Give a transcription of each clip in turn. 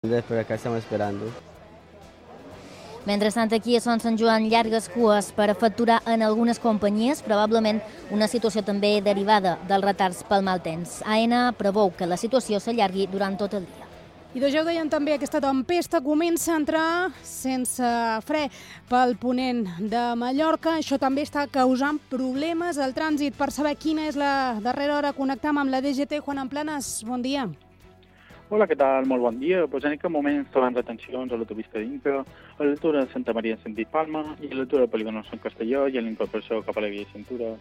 Por acá estamos esperando. Mentrestant, aquí a Son Sant Joan, llargues cues per a facturar en algunes companyies, probablement una situació també derivada dels retards pel mal temps. AENA preveu que la situació s'allargui durant tot el dia. I ja ho deien també, aquesta tempesta comença a entrar sense fre pel ponent de Mallorca. Això també està causant problemes al trànsit. Per saber quina és la darrera hora, connectam amb la DGT. Juan Amplanas, bon dia. Hola, què tal? Molt bon dia. Pues en aquest moment trobem retencions a l'autopista d'Inca, a l'altura de Santa Maria en sentit Palma i a l'altura del polígon Sant Castelló i a l'incorporació cap a la via de cintura.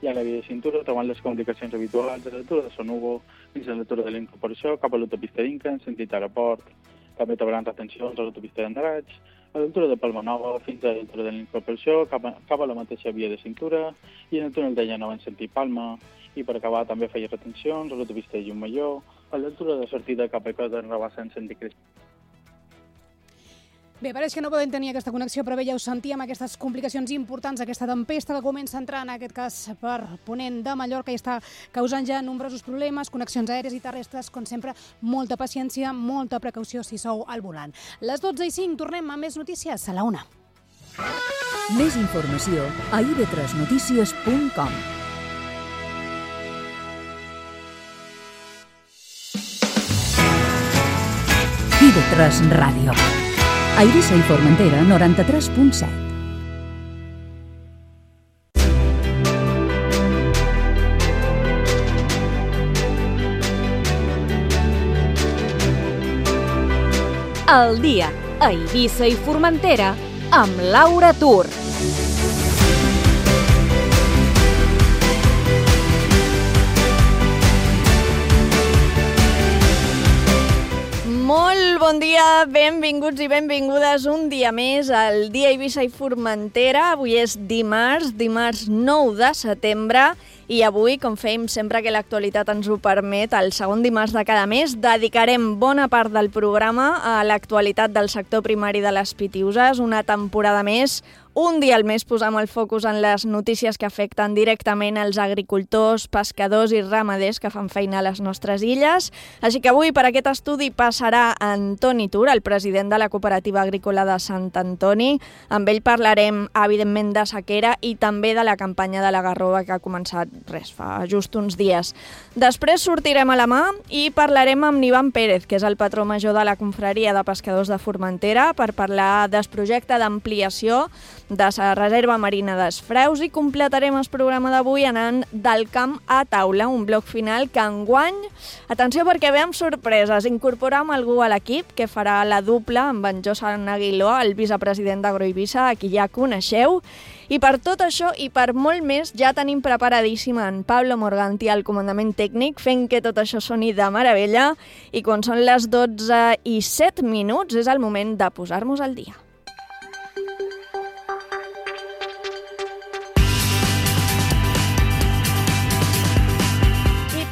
I a la via de cintura trobant les complicacions habituals a l'altura de Son Hugo fins a l'altura de l'incorporació cap a l'autopista d'Inca en sentit aeroport. També trobaran retencions a l'autopista d'Andratx, a l'altura de Palma Nova fins a l'altura de l'incorporació cap a la mateixa via de cintura i en el túnel de Llanova en sentit Palma. I per acabar també feia retencions a l'autopista de Llumalló, a l'altura de sortida cap a Coda en Rabassa en sentit Crespo. Bé, pareix que no podem tenir aquesta connexió, però bé, ja ho sentíem, aquestes complicacions importants, aquesta tempesta que comença a entrar, en aquest cas per ponent de Mallorca, i està causant ja nombrosos problemes, connexions aèries i terrestres, com sempre, molta paciència, molta precaució si sou al volant. Les 12:05, tornem a més notícies a la 1. Més informació a ib3notícies.com. IB3 Ràdio. A Eivissa i Formentera, 93.7. El dia a Eivissa i Formentera amb Laura Tur. Molt bon dia, benvinguts i benvingudes un dia més al Dia Eivissa i Formentera. Avui és dimarts 9 de setembre i avui, com fèiem sempre que l'actualitat ens ho permet, el segon dimarts de cada mes dedicarem bona part del programa a l'actualitat del sector primari de les Pitiüses, una temporada més. Un dia al mes posam el focus en les notícies que afecten directament els agricultors, pescadors i ramaders que fan feina a les nostres illes. Així que avui per aquest estudi passarà Antoni Tur, el president de la Cooperativa Agrícola de Sant Antoni. Amb ell parlarem, evidentment, de sequera i també de la campanya de la Garrova que ha començat fa just uns dies. Després sortirem a la mà i parlarem amb Ivan Pérez, que és el patró major de la Confraria de Pescadors de Formentera, per parlar del projecte d'ampliació de la reserva marina d'Esfreus i completarem el programa d'avui anant del camp a taula, un bloc final que enguany, atenció perquè ve amb sorpreses, incorporam algú a l'equip que farà la dupla amb en Josan Aguiló, el vicepresident d'Agroeivissa, a qui ja coneixeu. I per tot això i per molt més ja tenim preparadíssim en Pablo Morganti al comandament tècnic, fent que tot això soni de meravella, i quan són les 12:07 és el moment de posar-nos al dia.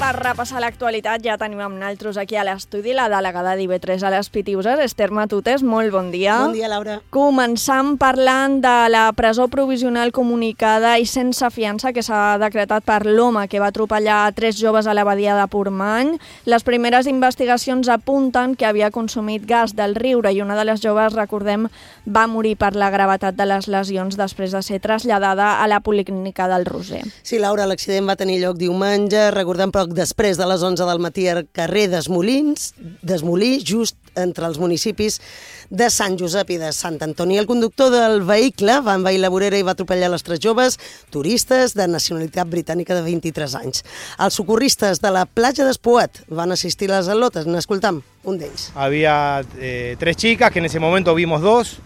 Per repassar l'actualitat ja tenim amb naltros aquí a l'estudi la delegada d'IB3 a les Pitiüses, Esther Matutes, molt bon dia. Bon dia, Laura. Començam parlant de la presó provisional comunicada i sense fiança que s'ha decretat per l'home que va atropellar 3 joves a la badia de Portmany. Les primeres investigacions apunten que havia consumit gas del riure i una de les joves, recordem, va morir per la gravetat de les lesions després de ser traslladada a la policlínica del Roser. Sí, Laura, l'accident va tenir lloc diumenge, recordem poc després de les 11 del matí al carrer d'Esmolí, just entre els municipis de Sant Josep i de Sant Antoni. El conductor del vehicle va envair la vorera i va atropellar les 3 joves turistes de nacionalitat britànica de 23 anys. Els socorristes de la platja d'Espoat van assistir a les al·lotes. N'escoltam un d'ells. Había 3 chicas que en ese momento vimos 2,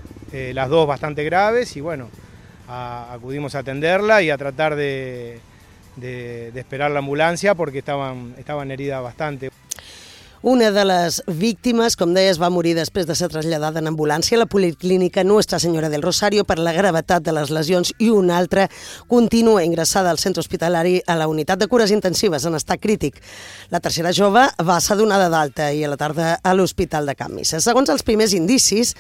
las 2 bastante graves y bueno, acudimos a atenderla y a tratar de esperar la ambulancia porque estaban heridas bastante. Una de les víctimes, com deies, va morir després de ser traslladada en ambulància a la Policlínica Nuestra Senyora del Rosario per la gravetat de les lesions i una altra continua ingressada al centre hospitalari a la unitat de cures intensives en estat crític. La tercera jove va ser donada d'alta i a la tarda a l'Hospital de Can Misses. Segons els primers indicis,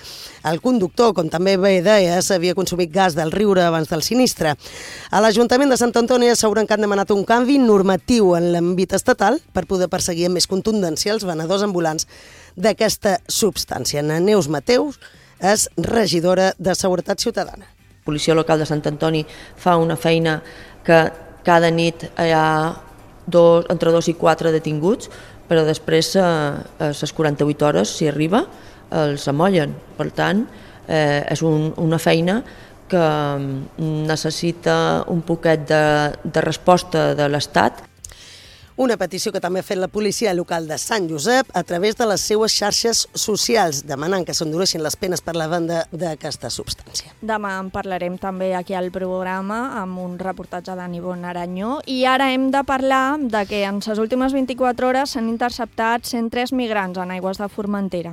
el conductor, com també bé deies, havia consumit gas del riure abans del sinistre. A l'Ajuntament de Sant Antoni asseguren que han demanat un canvi normatiu en l'àmbit estatal per poder perseguir amb més contundència els venedors ambulants d'aquesta substància. Ana Neus Mateus és regidora de Seguretat Ciutadana. La Policia Local de Sant Antoni fa una feina que cada nit hi ha entre 2 i 4 detinguts, però després a les 48 hores, si arriba, els amollen. Per tant, és una feina que necessita un poquet de resposta de l'Estat. Una petició que també ha fet la policia local de Sant Josep a través de les seues xarxes socials, demanant que s'endureixin les penes per la venda d'aquesta substància. Demà en parlarem també aquí al programa amb un reportatge de Nivonne Aranyó i ara hem de parlar de que en les últimes 24 hores s'han interceptat 103 migrants en aigües de Formentera.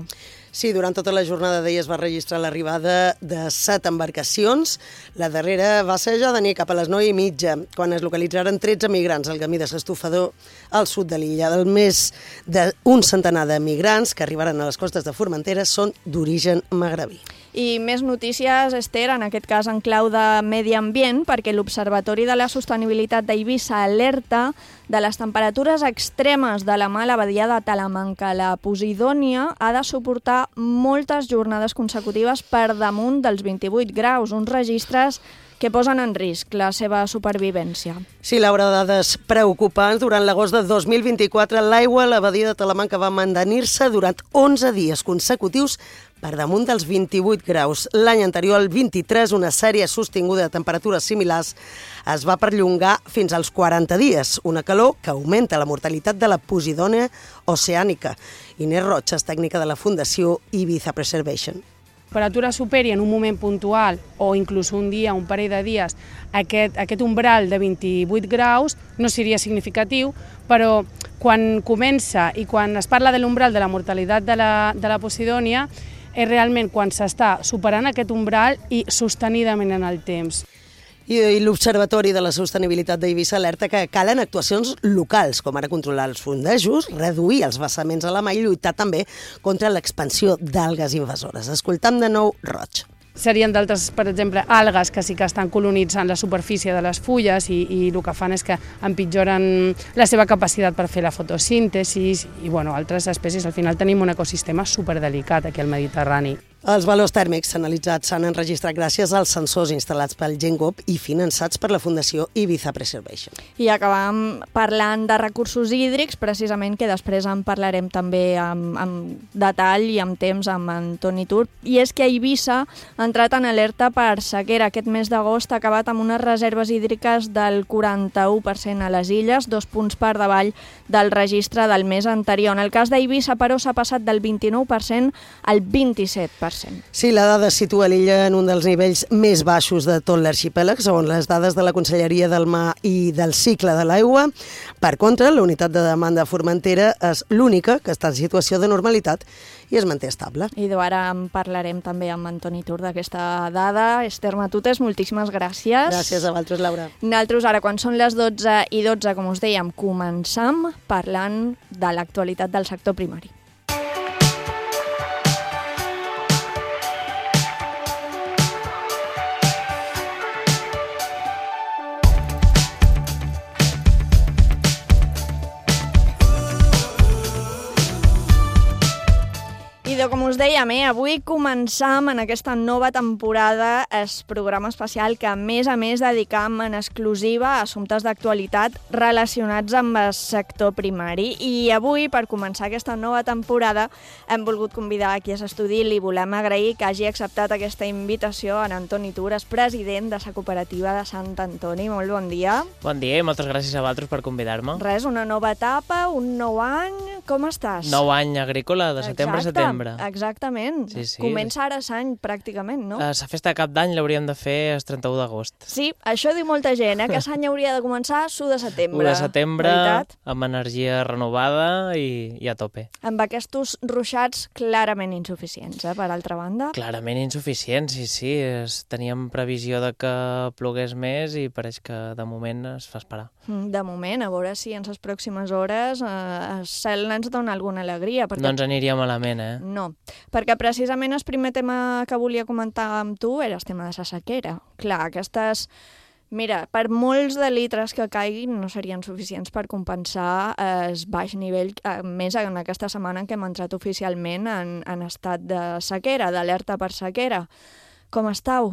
Sí, durant tota la jornada d'ahir es va registrar l'arribada de 7 embarcacions. La darrera va ser ja de nit cap a les 9:30, quan es localitzaren 13 migrants al camí de l'Estofador al sud de l'illa. El més d'un centenar de migrants que arribaran a les costes de Formentera són d'origen magrebí. I més notícies, Esther, en aquest cas en clau de medi ambient, perquè l'Observatori de la Sostenibilitat d'Eivissa alerta de les temperatures extremes de la mà a la badia de Talamanca. La Posidònia ha de suportar moltes jornades consecutives per damunt dels 28 graus, uns registres que posen en risc la seva supervivència. Sí, Laura, dades preocupants. Durant l'agost de 2024, l'aigua a la badia de Talamanca va mantenir-se durant 11 dies consecutius per damunt dels 28 graus. L'any anterior, el 23, una sèrie sostinguda de temperatures similars es va perllongar fins als 40 dies, una calor que augmenta la mortalitat de la Posidònia oceànica. Inés Roig és tècnica de la Fundació Ibiza Preservation. Temperatura superi en un moment puntual o inclús un dia, un parell de dies, aquest umbral de 28 graus no seria significatiu, però quan comença i quan es parla de l'umbral de la mortalitat de la Posidònia és realment quan s'està superant aquest umbral i sostenidament en el temps. I l'Observatori de la Sostenibilitat d'Eivissa alerta que calen actuacions locals, com ara controlar els fondejos, reduir els vessaments a la mà i lluitar també contra l'expansió d'algues invasores. Escoltam de nou Roig. Serien d'altres, per exemple, algues que sí que estan colonitzant la superfície de les fulles i el que fan és que empitjoren la seva capacitat per fer la fotosíntesi i altres espècies. Al final tenim un ecosistema superdelicat aquí al Mediterrani. Els valors tèrmics analitzats s'han enregistrat gràcies als sensors instal·lats pel GenGop i finançats per la Fundació Ibiza Preservation. I acabam parlant de recursos hídrics, precisament, que després en parlarem també amb detall i amb temps amb Antoni Tur. I és que Eivissa ha entrat en alerta per sequera. Aquest mes d'agost ha acabat amb unes reserves hídriques del 41% a les illes, 2 punts per davall del registre del mes anterior. En el cas d'Eivissa, però, s'ha passat del 29% al 27%. Sí, la dada situa l'illa en un dels nivells més baixos de tot l'arxipèlag, segons les dades de la Conselleria del Mar i del Cicle de l'Aigua. Per contra, la unitat de demanda a Formentera és l'única que està en situació de normalitat i es manté estable. I ara en parlarem també amb Antoni Tur d'aquesta dada. Esther Matutes, moltíssimes gràcies. Gràcies a vosaltres, Laura. Nosaltres ara, quan són les 12:12, com us dèiem, començam parlant de l'actualitat del sector primari. Com us dèiem, avui començam en aquesta nova temporada el programa especial que, a més, dedicam en exclusiva a assumptes d'actualitat relacionats amb el sector primari. I avui, per començar aquesta nova temporada, hem volgut convidar aquí a l'estudi i li volem agrair que hagi acceptat aquesta invitació en Antoni Tur, és president de la cooperativa de Sant Antoni. Molt bon dia. Bon dia i moltes gràcies a vosaltres per convidar-me. Res, una nova etapa, un nou any, com estàs? Nou any agrícola, de setembre a setembre. Exactament. Sí, sí. Comença ara l'any, pràcticament, no? La festa de cap d'any l'hauríem de fer el 31 d'agost. Sí, això diu molta gent, que l'any hauria de començar l'1 de setembre. 1 de setembre, veritat? amb energia renovada i a tope. Amb aquests ruixats clarament insuficients, per altra banda. Clarament insuficients, sí. Teníem previsió de que plogués més i pareix que de moment es fa esperar. De moment, a veure si en les pròximes hores el cel ens dona alguna alegria. Perquè... No ens aniria malament, No, perquè precisament el primer tema que volia comentar amb tu era el tema de la sequera. Clar, aquestes Mira, per molts de litres que caiguin no serien suficients per compensar el baix nivell, més en aquesta setmana en què hem entrat oficialment en estat de sequera, d'alerta per sequera. Com estàu?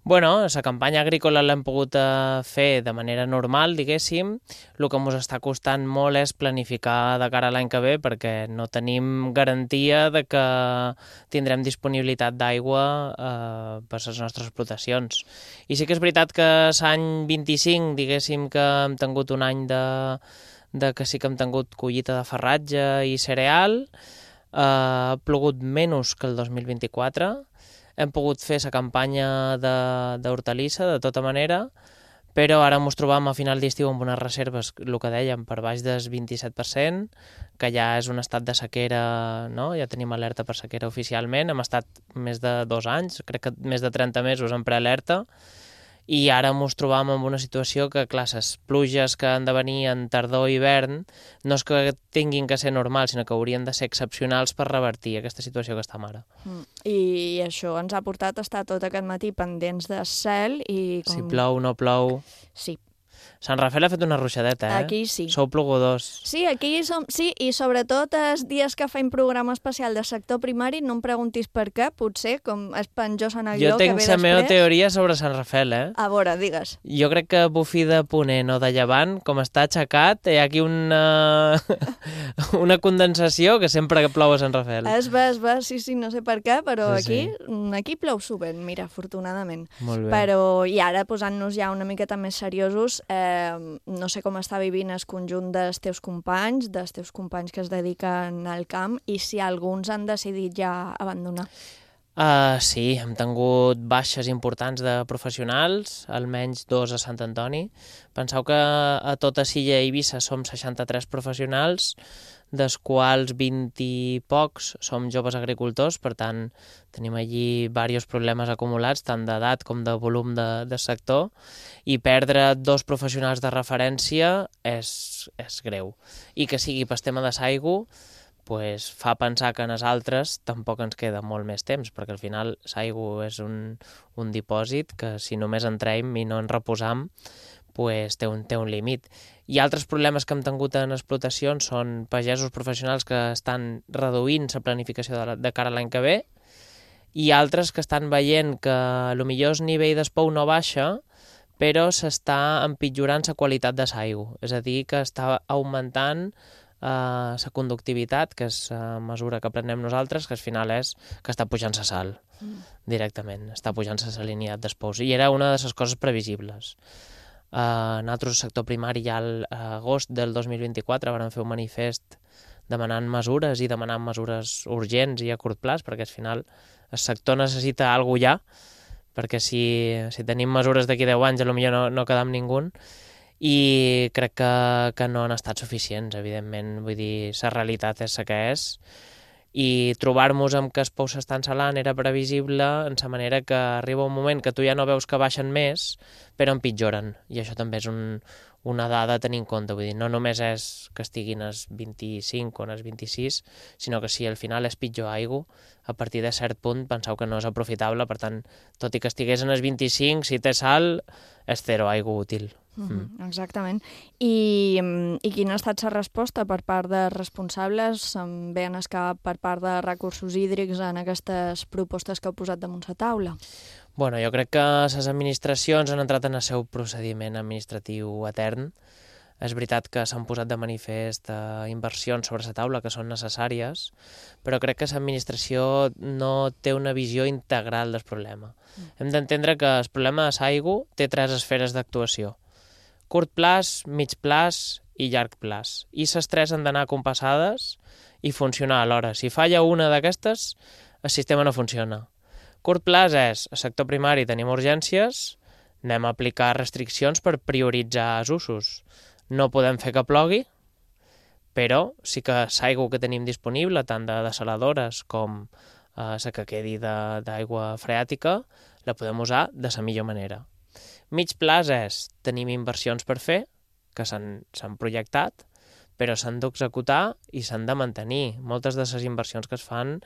Bueno, la campanya agrícola l'hem pogut fer de manera normal, diguéssim. El que ens està costant molt és planificar de cara a l'any que ve perquè no tenim garantia de que tindrem disponibilitat d'aigua per les nostres explotacions. I sí que és veritat que l'any 25, diguéssim que hem tingut un any de que sí que hem tingut collita de farratge i cereal, ha plogut menys que el 2024, hem pogut fer la campanya d'hortalissa, de tota manera, però ara ens trobam a final d'estiu amb unes reserves, el que dèiem, per baix del 27%, que ja és un estat de sequera, no? Ja tenim alerta per sequera oficialment, hem estat més de 2 anys, crec que més de 30 mesos en prealerta, i ara ens trobam en una situació que, clar, les pluges que han de venir en tardor i hivern no és que tinguin que ser normals, sinó que haurien de ser excepcionals per revertir aquesta situació que estem ara. I això ens ha portat a estar tot aquest matí pendents del cel i... Si plou, no plou... Sí. Sant Rafael ha fet una ruixadeta, Aquí sí. Sou plogodors. Sí, aquí som... Sí, i sobretot els dies que fem programa especial de sector primari, no em preguntis per què, potser, com es penjós en el Jo guió que ve tinc després. la meva teoria sobre Sant Rafael, A veure, digues. Jo crec que bufí de Ponent o de Llevant, com està aixecat, hi ha aquí una condensació que sempre plou a Sant Rafael. Es va, sí, no sé per què, però Sí. aquí plou sovint, mira, afortunadament. Molt bé. Però, i ara, posant-nos ja una miqueta més seriosos, no sé com està vivint el conjunt dels teus companys que es dediquen al camp, i si alguns han decidit ja abandonar. Sí, hem tingut baixes importants de professionals, almenys 2 a Sant Antoni. Penseu que a tota Silla i Eivissa som 63 professionals, dels quals 20 i pocs som joves agricultors, per tant tenim allí diversos problemes acumulats, tant d'edat com de volum de sector, i perdre 2 professionals de referència és greu. I que sigui per tema de l'aigua, pues fa pensar que en els altres tampoc ens queda molt més temps, perquè al final l'aigua és un dipòsit que si només entrem i no ens reposam, pues té un límit. I altres problemes que hem tingut en explotacions són pagesos professionals que estan reduint la planificació de cara a l'any que ve, i altres que estan veient que potser el nivell d'espou no baixa, però s'està empitjorant la qualitat de l'aigua, és a dir, que està augmentant la conductivitat, que és la mesura que prenem nosaltres, que al final és que està pujant la sal directament, està pujant la salinitat d'espous, i era una de les coses previsibles. Nosaltres, al sector primari, ja a agost del 2024 vam fer un manifest demanant mesures i demanant mesures urgents i a curt plaç, perquè al final el sector necessita alguna cosa ja, perquè si tenim mesures d'aquí 10 anys potser no quedam ningú, i crec que no han estat suficients, evidentment. Vull dir, la realitat és la que és, i trobar-nos amb que els pous s'estan salant era previsible, en la manera que arriba un moment que tu ja no veus que baixen més, però empitjoren, i això també és una dada a tenir en compte. Vull dir, no només és que estiguin als 25 o als 26, sinó que si al final és pitjor aigua, a partir de cert punt penseu que no és aprofitable, per tant, tot i que estigués en els 25, si té sal, és zero aigua útil. Exactament. I quina ha estat la resposta per part de responsables, bé en el cap per part de recursos hídrics en aquestes propostes que heu posat damunt la taula? Bueno, jo crec que les administracions han entrat en el seu procediment administratiu etern. És veritat que s'han posat de manifest inversions sobre la taula que són necessàries, però crec que l'administració no té una visió integral del problema. Hem d'entendre que el problema de l'aigua té 3 esferes d'actuació: curt plaç, mig plaç i llarg plaç. I les 3 han d'anar compassades i funcionar alhora. Si falla una d'aquestes, el sistema no funciona. Curt plaç és, al sector primari tenim urgències, anem a aplicar restriccions per prioritzar els usos. No podem fer que plogui, però sí que l'aigua que tenim disponible, tant de desaladores com la que quedi d'aigua freàtica, la podem usar de la millor manera. Mig plaç és, tenim inversions per fer, que s'han projectat, però s'han d'executar i s'han de mantenir. Moltes de les inversions que es fan,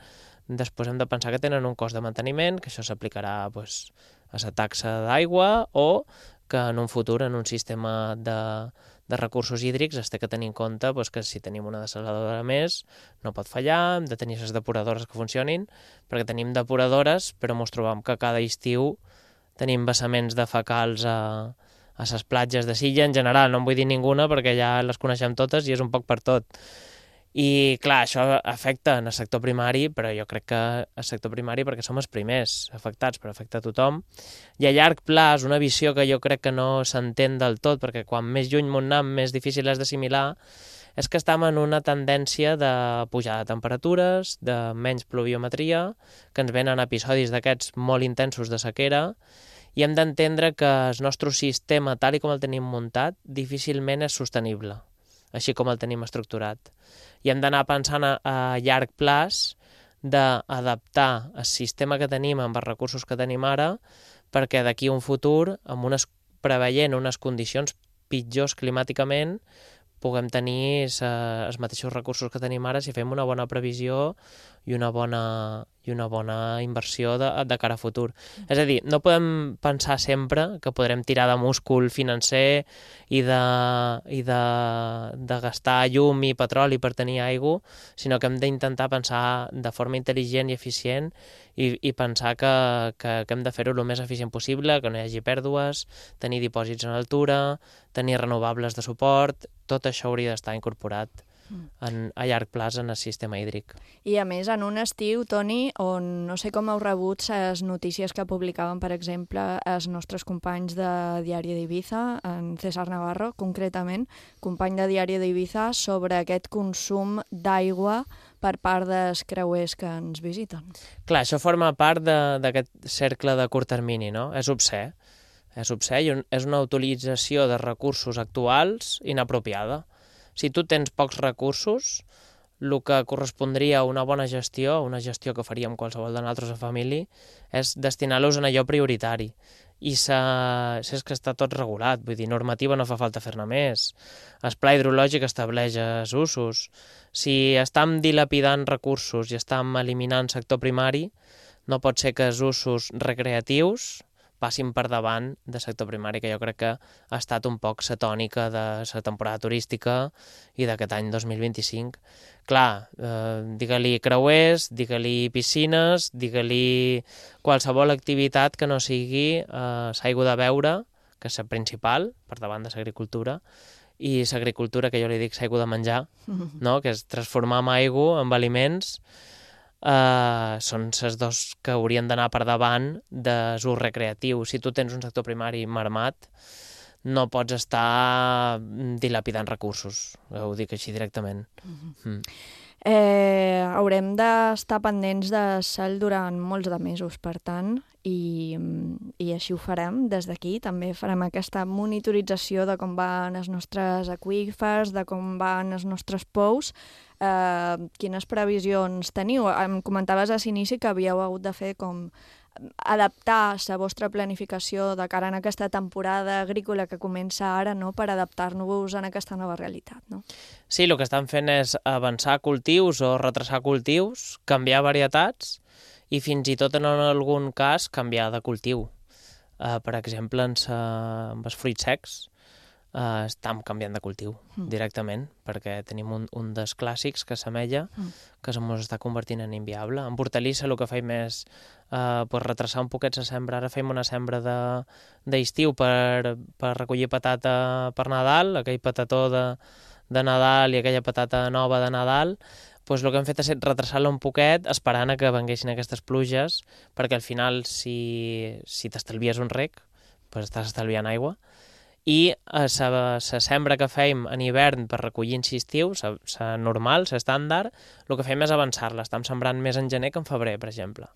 després hem de pensar que tenen un cost de manteniment, que això s'aplicarà a la taxa d'aigua, o que en un futur, en un sistema de recursos hídrics, es té que tenir en compte que si tenim una dessaladora més no pot fallar, hem de tenir les depuradores que funcionin, perquè tenim depuradores, però ens trobam que cada estiu tenim vessaments de fecals a les platges de Silla, en general, no en vull dir ninguna perquè ja les coneixem totes i és un poc per tot. I, clar, això afecta en el sector primari, però jo crec que el sector primari perquè som els primers afectats, però afecta a tothom. I a llarg plaç, una visió que jo crec que no s'entén del tot, perquè quan més lluny m'on anem, més difícil és d'assimilar, és que estem en una tendència de pujada de temperatures, de menys pluviometria, que ens venen episodis d'aquests molt intensos de sequera, i hem d'entendre que el nostre sistema, tal com el tenim muntat, difícilment és sostenible, així com el tenim estructurat. I hem d'anar pensant a llarg plaç d'adaptar el sistema que tenim amb els recursos que tenim ara perquè d'aquí a un futur, preveient unes condicions pitjors climàticament, puguem tenir els mateixos recursos que tenim ara si fem una bona previsió i una bona inversió de cara a futur. És a dir, no podem pensar sempre que podrem tirar de múscul financer i de gastar llum i petroli per tenir aigua, sinó que hem d'intentar pensar de forma intel·ligent i eficient i pensar que hem de fer-ho el més eficient possible, que no hi hagi pèrdues, tenir dipòsits en altura, tenir renovables de suport, tot això hauria d'estar incorporat a llarg plaç en el sistema hídric. I a més, en un estiu, Toni, on no sé com heu rebut les notícies que publicaven, per exemple, els nostres companys de Diari d'Ibiza, en César Navarro, concretament, company de Diari d'Ibiza, sobre aquest consum d'aigua per part dels creuers que ens visiten. Clar, això forma part d'aquest cercle de curt termini, no? És obscè. És obscè i és una utilització de recursos actuals inapropiada. Si tu tens pocs recursos, el que correspondria a una bona gestió, una gestió que faríem qualsevol de nosaltres a família, és destinar-los en allò prioritari. I és que està tot regulat, vull dir, normativa no fa falta fer-ne més. El pla hidrològic estableix els usos. Si estem dilapidant recursos i estem eliminant sector primari, no pot ser que els usos recreatius passin per davant del sector primari, que jo crec que ha estat un poc la tònica de la temporada turística i d'aquest any 2025. Clar, digue-li creuers, digue-li piscines, digue-li qualsevol activitat que no sigui l'aigua de beure, que és la principal, per davant de l'agricultura, i l'agricultura, que jo li dic l'aigua de menjar, no? Que és transformar en aigua, en aliments, són les dos que haurien d'anar per davant de l'ús recreatiu. Si tu tens un sector primari marmat, no pots estar dilapidant recursos, ho dic així directament. Haurem d'estar pendents de cel durant molts de mesos, per tant, i així ho farem des d'aquí. També farem aquesta monitorització de com van els nostres aqüífers, de com van els nostres pous. Quines previsions teniu? Em comentaves a l'inici que havíeu hagut de fer com adaptar la vostra planificació de cara a aquesta temporada agrícola que comença ara, no?, per adaptar-nos a aquesta nova realitat, no? Sí, el que estan fent és avançar cultius o retrasar cultius, canviar varietats i fins i tot en algun cas canviar de cultiu. Per exemple, amb els fruits secs estem canviant de cultiu directament, perquè tenim un dels clàssics, que és l'ametlla, que ens està convertint en inviable. En hortalissa el que fem és retrasar un poquet la sembra. Ara fem una sembra d'estiu per recollir patata per Nadal, aquell patató de Nadal i aquella patata nova de Nadal. Doncs el que hem fet és retrasar-la un poquet, esperant que venguessin aquestes pluges, perquè al final, si t'estalvies un rec, doncs estàs estalviant aigua. I la sembra que fèiem en hivern per recollir en estiu, la normal, l'estàndard, el que fem és avançar-la. Estem sembrant més en gener que en febrer, per exemple.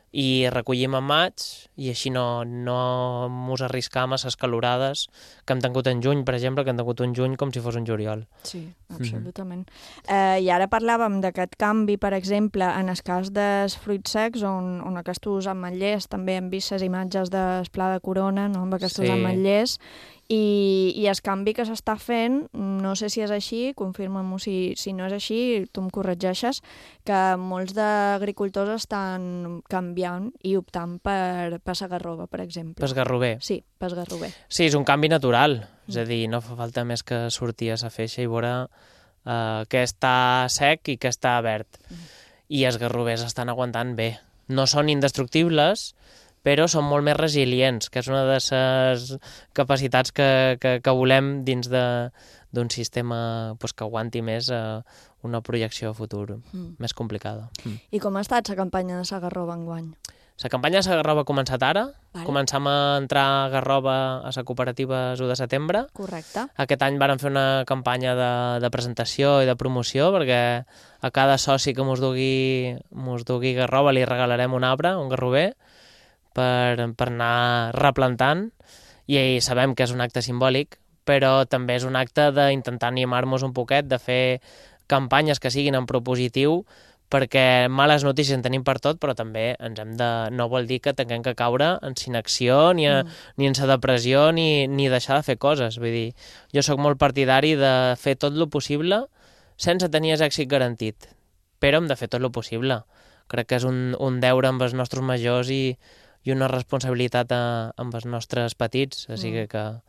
I recollim en maig, i així no ens arriscam a les calorades que hem tingut en juny, per exemple, que hem tingut un juny com si fos un juliol. Sí, absolutament. I ara parlàvem d'aquest canvi, per exemple, en el cas dels fruits secs, on aquests ametllers, també hem vist les imatges del Pla de Corona, no?, amb aquests ametllers, I el canvi que s'està fent, no sé si és així, confirma'm si no és així, tu em corregeixes, que molts d'agricultors estan canviant i optant per Segarrova, per exemple. Per Garrover. Sí, per Garrover. Sí, és un canvi natural, és a dir, no fa falta més que sortir a la feixa i veure què està sec i què està verd. I els garrovers estan aguantant bé. No són indestructibles, però són molt més resilients, que és una de les capacitats que volem dins d'un sistema que aguanti més una projecció a futur més complicada. I com ha estat la campanya de Segarrova enguany? La campanya de Segarrova ha començat ara. Començam a entrar a Garrova a la cooperativa 1 de setembre. Correcte. Aquest any vàrem fer una campanya de presentació i de promoció, perquè a cada soci que mos dugui Garrova li regalarem un arbre, un garrover, per anar replantant, i sabem que és un acte simbòlic, però també és un acte d'intentar animar-nos un poquet, de fer campanyes que siguin en propositiu, perquè males notícies en tenim per tot, però també no vol dir que tinguem que caure en inacció, ni en la depressió, ni deixar de fer coses. Vull dir, jo sóc molt partidari de fer tot el possible sense tenir èxit garantit, però hem de fer tot el possible. Crec que és un deure amb els nostres majors i una responsabilitat amb els nostres petits, així que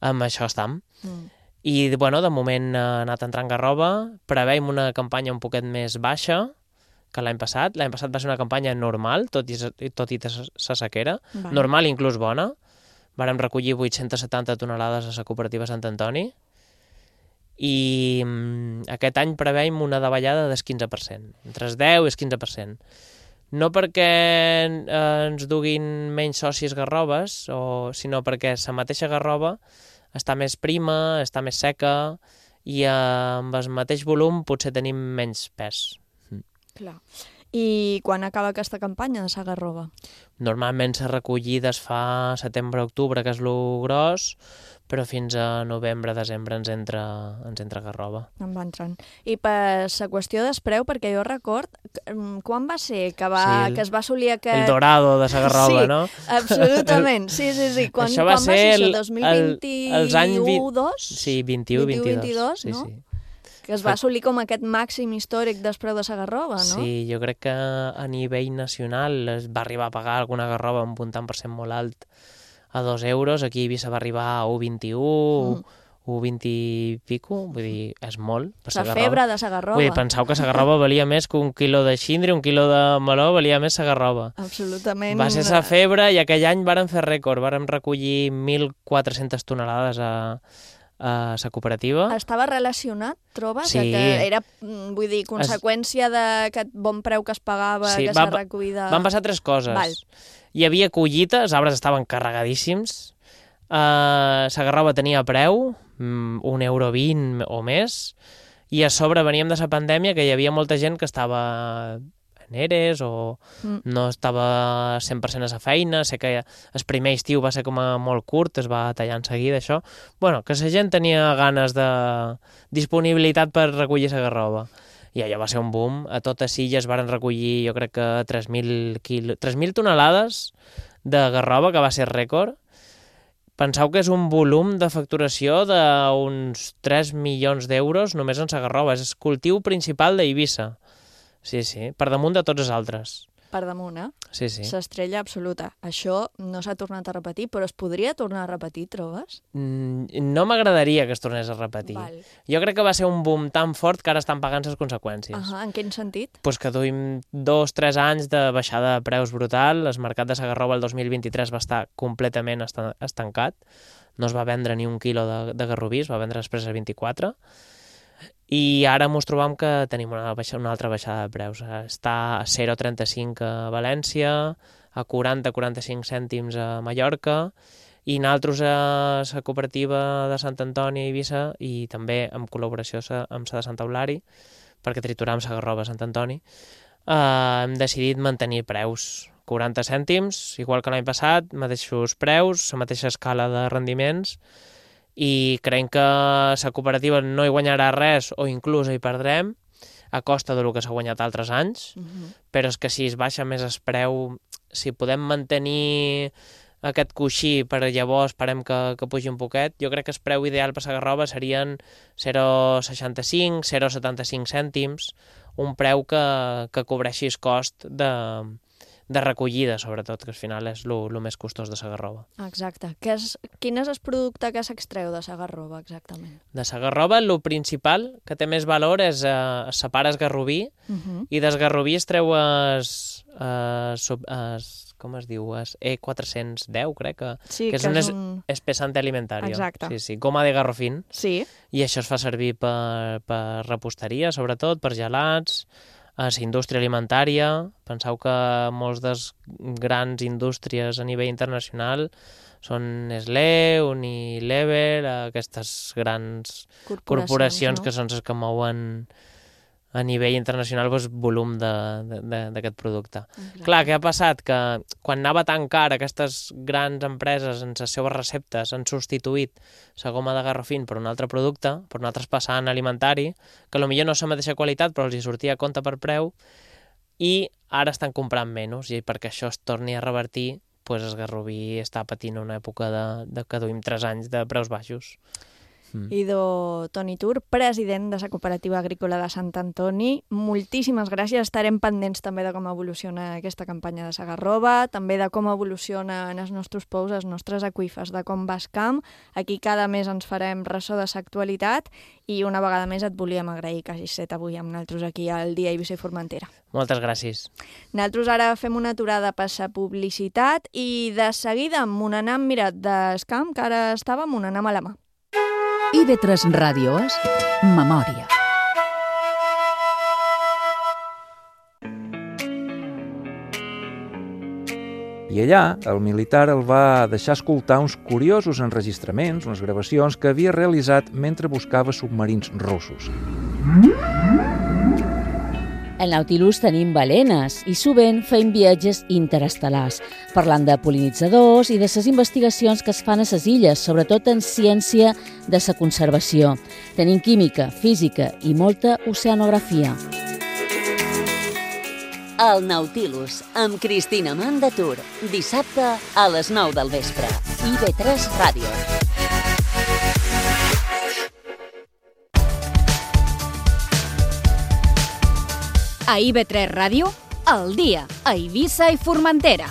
amb això estem. I, bueno, de moment ha anat entrant Garrova, preveiem una campanya un poquet més baixa que l'any passat. L'any passat va ser una campanya normal, tot i sa sequera, normal i inclús bona. Vàrem recollir 870 tonelades a la cooperativa Sant Antoni, i aquest any preveiem una davallada del 15%, entre el 10 i el 15%. No perquè ens duguin menys socis garroves, sinó perquè la mateixa Garrova està més prima, està més seca, i amb el mateix volum potser tenim menys pes. Clar. I quan acaba aquesta campanya de Segarrova? Normalment la recollida es fa setembre-octubre, que és el gros, però fins a novembre-desembre ens entra Garrova. En va entrant. I per la qüestió del preu, perquè jo record, quan va ser que es va assolir aquest... El dorado de Segarrova, no? Sí, absolutament. Sí. Quan va ser això? 2021-22? Sí, 21-22. No? Que es va assolir com aquest màxim històric del preu de Segarrova, no? Sí, jo crec que a nivell nacional es va arribar a pagar alguna Garrova amb un tant per cent molt alt a 2 euros, aquí a Eivissa va arribar a 1,21, 1,20 i pico, vull dir, és molt. La febre de Segarrova. Vull dir, penseu que Segarrova valia més que un quilo de xindri, un quilo de meló valia més Segarrova. Absolutament. Va ser la febre i aquell any vàrem fer rècord, vàrem recollir 1.400 tonelades a la cooperativa. Estava relacionat, trobes? Sí. Que era, vull dir, conseqüència d'aquest bon preu que es pagava, que s'ha recollida... Van passar 3 coses. Val. Hi havia collita, els arbres estaven carregadíssims, Segarrova tenia preu, 1,20 € o més, i a sobre veníem de la pandèmia que hi havia molta gent que estava en ERES o no estava 100% a la feina. Sé que el primer estiu va ser com a molt curt, es va tallar en seguida això. Bueno, que la gent tenia ganes de disponibilitat per recollir Segarrova. I allò va ser un boom. A totes Illes varen recollir, jo crec que 3.000 tonelades de Garrova, que va ser rècord. Penseu que és un volum de facturació d'uns 3 milions d'euros només en Segarrova. És el cultiu principal d'Eivissa. Sí, per damunt de tots els altres. Per damunt, eh? Sí. L'estrella absoluta. Això no s'ha tornat a repetir, però es podria tornar a repetir, trobes? No m'agradaria que es tornés a repetir. Val. Jo crec que va ser un boom tan fort que ara estan pagant les conseqüències. En quin sentit? Pues que duim 2-3 anys de baixada de preus brutal. El mercat de Segarrova el 2023 va estar completament estancat. No es va vendre ni un quilo de garroví, es va vendre després a 24. I ara ens trobam que tenim una altra baixada de preus. Està a 0,35 a València, a 40-45 cèntims a Mallorca, i nosaltres a la cooperativa de Sant Antoni i Eivissa, i també en col·laboració amb la de Santa Eulària, perquè trituram Segarrova a Sant Antoni, hem decidit mantenir preus. 40 cèntims, igual que l'any passat, mateixos preus, la mateixa escala de rendiments, i creiem que la cooperativa no hi guanyarà res o inclús hi perdrem a costa del que s'ha guanyat altres anys, però és que si es baixa més el preu, si podem mantenir aquest coixí per llavors esperem que pugi un poquet. Jo crec que el preu ideal per la garrova serien 0,65, 0,75 cèntims, un preu que cobreixi el cost de recollida, sobretot, que al final és el més costós de la garrova. Exacte. Quin és el producte que s'extreu de la garrova, exactament? De la garrova, el principal que té més valor és separa el garroví, i del garroví es treu com es diu? E410, crec que és un espessant alimentari. Exacte. Sí, goma de garrofín. Sí. I això es fa servir per reposteria, sobretot, per gelats, a la indústria alimentària. Penseu que molts de grans indústries a nivell internacional són Nestlé, Unilever, aquestes grans corporacions que són les que mouen a nivell internacional volum d'aquest producte. Exacte. Clar, què ha passat? Que quan anava tan car, aquestes grans empreses en les seves receptes han substituït la goma de garrofín per un altre producte, per un altre espessant alimentari, que potser no és la mateixa qualitat, però els hi sortia a compte per preu, i ara estan comprant menys, i perquè això es torni a revertir, el garroví està patint una època que duim 3 anys de preus baixos. Ido Toni Tur, president de la Cooperativa Agrícola de Sant Antoni. Moltíssimes gràcies. Estarem pendents també de com evoluciona aquesta campanya de la garrova, també de com evolucionen els nostres pous, els nostres aqüífers, de com va el camp. Aquí cada mes ens farem ressò de l'actualitat i una vegada més et volíem agrair que hagis estat avui amb nosaltres aquí al Dia Eivissa i Formentera. Moltes gràcies. Nosaltres ara fem una aturada per la publicitat i de seguida amb un anam, mira, del camp, que ara estàvem, un anam a la mà. IB3 Ràdio és Memòria. I allà, el militar el va deixar escoltar uns curiosos enregistraments, unes gravacions que havia realitzat mentre buscava submarins russos. Al Nautilus tenim balenes i sovint fem viatges interestel·lars, parlant de pol·linitzadors i de les investigacions que es fan a les illes, sobretot en ciència de la conservació. Tenim química, física i molta oceanografia. El Nautilus, amb Cristina Mandatur, dissabte a les 9 del vespre. IB3 Ràdio. A IB3 Ràdio, al dia, a Eivissa i Formentera.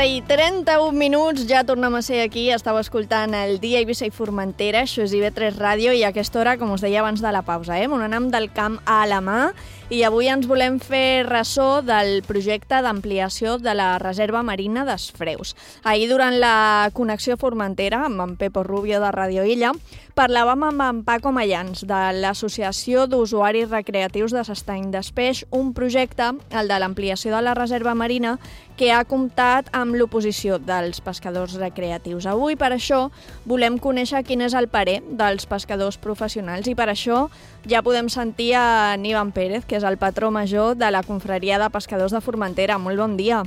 I 31 minuts, ja tornem a ser aquí, estàu escoltant el Dia Eivissa i Formentera, això és IB3 Ràdio, i a aquesta hora, com us deia abans de la pausa, on anem del camp a la mà, i avui ens volem fer ressò del projecte d'ampliació de la reserva marina dels Freus. Ahir, durant la connexió Formentera, amb en Pepo Rubio de Radio Illa, parlàvem amb en Paco Mayans, de l'Associació d'Usuaris Recreatius de l'Estany d'Espeix, un projecte, el de l'ampliació de la reserva marina, que ha comptat amb l'oposició dels pescadors recreatius. Avui, per això, volem conèixer quin és el parer dels pescadors professionals, i per això ja podem sentir a Ivan Pérez, que és el patró major de la Confraria de Pescadors de Formentera. Molt bon dia.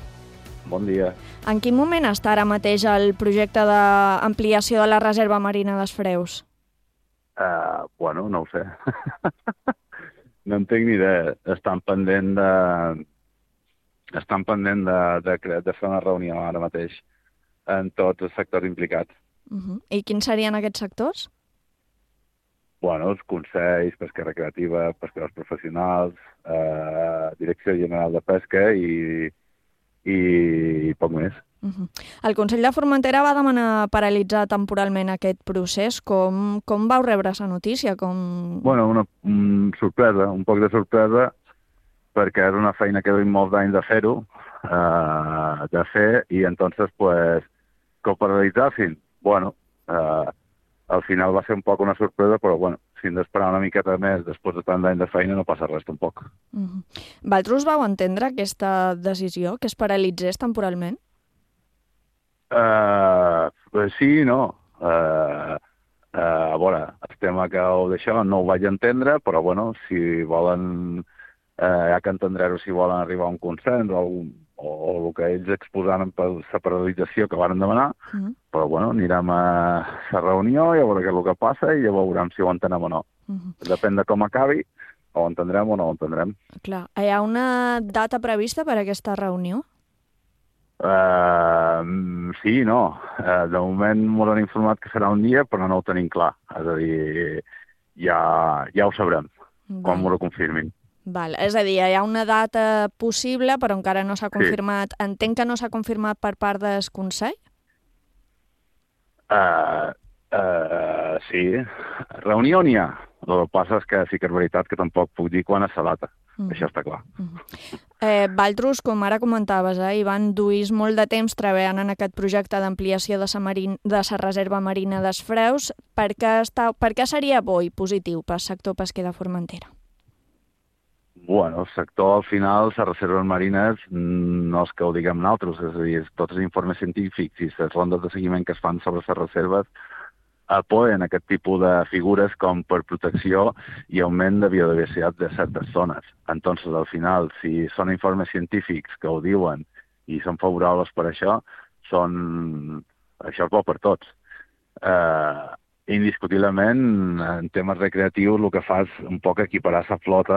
Bon dia. En quin moment està ara mateix el projecte d'ampliació de la reserva marina dels Freus? Bueno, no ho sé. No en tinc ni idea. Estan pendent de fer una reunió ara mateix en tots els sectors implicats. I quins serien aquests sectors? Bueno, els consells, pesca recreativa, pescadors professionals, Direcció General de Pesca i poc més. El Consell de Formentera va demanar paralitzar temporalment aquest procés. Com vau rebre la notícia? Bueno, una sorpresa, un poc de sorpresa, perquè era una feina que duim molts anys de fer-ho, de fer, i entonces, pues, que ho paralitzassin. Bueno, al final va ser un poc una sorpresa, però, bueno, si hem d'esperar una miqueta més després de tant d'any de feina no passa res tampoc. Vosaltres vau entendre aquesta decisió, que es paralitzés temporalment? Sí, no. A veure, el tema que d'això no ho vaig entendre, però bueno, si volen, ja que entendreu si volen arribar a un consens o el que ells exposaran per la paralització que van demanar, però bueno, anirem a la reunió i a veure què és el que passa i ja veurem si ho entenem o no. Depèn de com acabi, o ho entendrem o no ho entendrem. Clar. Hi ha una data prevista per a aquesta reunió? Sí, no. De moment m'ho han informat que serà un dia, però no ho tenim clar. És a dir, ja ho sabrem, quan m'ho confirmin. Val. És a dir, hi ha una data possible, però encara no s'ha confirmat. Sí. Entenc que no s'ha confirmat per part del Consell? Sí. Reunió n'hi ha. El que passa és que sí que és veritat que tampoc puc dir quan és la data. Això està clar. Valtros, com ara comentaves, Ivan, duís molt de temps treballant en aquest projecte d'ampliació de la reserva marina dels Freus. Per què seria bo i positiu pel sector pesquer de Formentera? Bueno, el sector, al final, les reserves marines, no és que ho diguem nosaltres, és a dir, tots els informes científics i les rondes de seguiment que es fan sobre les reserves apoyen aquest tipus de figures com per protecció i augment de biodiversitat de certes zones. Entonces, al final, si són informes científics que ho diuen i són favorables per això, això és bo per tots. Indiscutiblement, en temes recreatius, el que fa és un poc equiparar la flota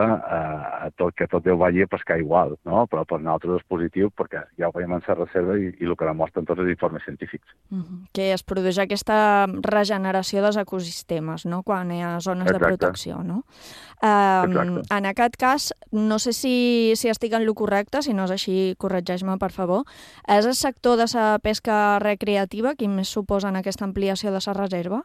que tot Déu vagi a pescar igual, no? Però per nosaltres és positiu perquè ja ho veiem en la reserva i el que demostren tots els informes científics. Que es produeix aquesta regeneració dels ecosistemes, no? Quan hi ha zones de protecció, no? En aquest cas, no sé si estic en lo correcte, si no és així, corregeix-me, per favor. És el sector de la pesca recreativa qui més suposa en aquesta ampliació de la reserva?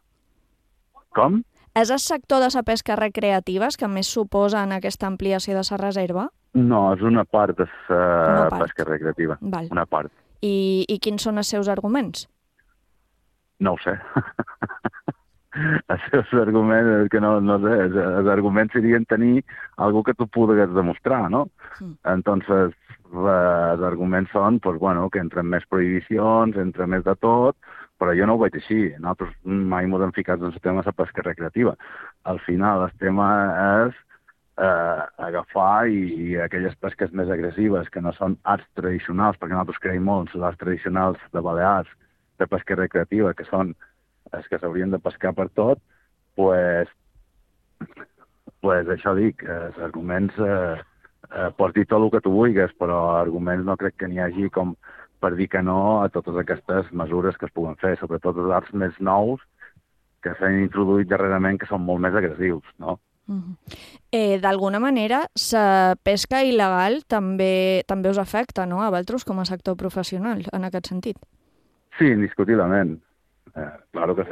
Com? És el sector de la pesca recreativa que més suposa en aquesta ampliació de la reserva? No, és una part de la pesca recreativa. Val. Una part. I quins són els seus arguments? No ho sé. Els seus arguments, que no sé, els arguments serien tenir algú que tu pugues demostrar, no? Entonces, els arguments són, pues, bueno, que entren més prohibicions, entra més de tot, però jo no ho veig així. Nosaltres mai ens hem ficat en el tema de la pesca recreativa. Al final, el tema és agafar i aquelles pesques més agressives, que no són arts tradicionals, perquè nosaltres creiem molt en les arts tradicionals de Balears, de pesca recreativa, que són els que s'haurien de pescar per tot, pues això dic, els arguments, pots dir tot el que tu vulguis, però arguments no crec que n'hi hagi com per dir que no a totes aquestes mesures que es puguen fer, sobretot els arts més nous que s'han introduït darrerament, que són molt més agressius, no? D'alguna manera, la pesca il·legal també us afecta, no?, a vosaltres com a sector professional, en aquest sentit. Sí, indiscutiblement. Claro que